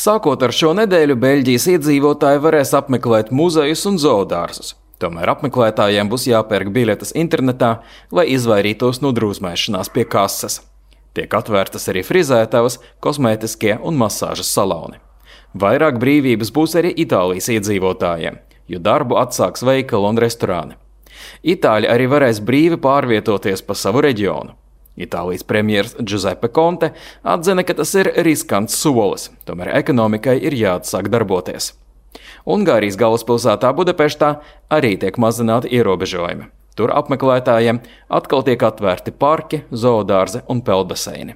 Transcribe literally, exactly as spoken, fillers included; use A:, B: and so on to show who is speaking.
A: Sākot ar šo nedēļu, Beļģijas iedzīvotāji varēs apmeklēt muzejus un zoodārzus. Tomēr apmeklētājiem būs jāpērk biļetes internetā, lai izvairītos no drūzmēšanās pie kases. Tiek atvērtas arī frizētavas, kosmētiskie un masāžas saloni. Vairāk brīvības būs arī Itālijas iedzīvotājiem, jo darbu atsāks veikali un restorāni. Itāļi arī varēs brīvi pārvietoties pa savu reģionu. Itālijas premjers Giuseppe Conte atzina, ka tas ir riskants solis, tomēr ekonomikai ir jāatsāk darboties. Ungārijas galvaspilsētā Budapeštā arī tiek mazināti ierobežojumi. Tur apmeklētājiem atkal tiek atvērti parki, zoodārzi un peldbaseini.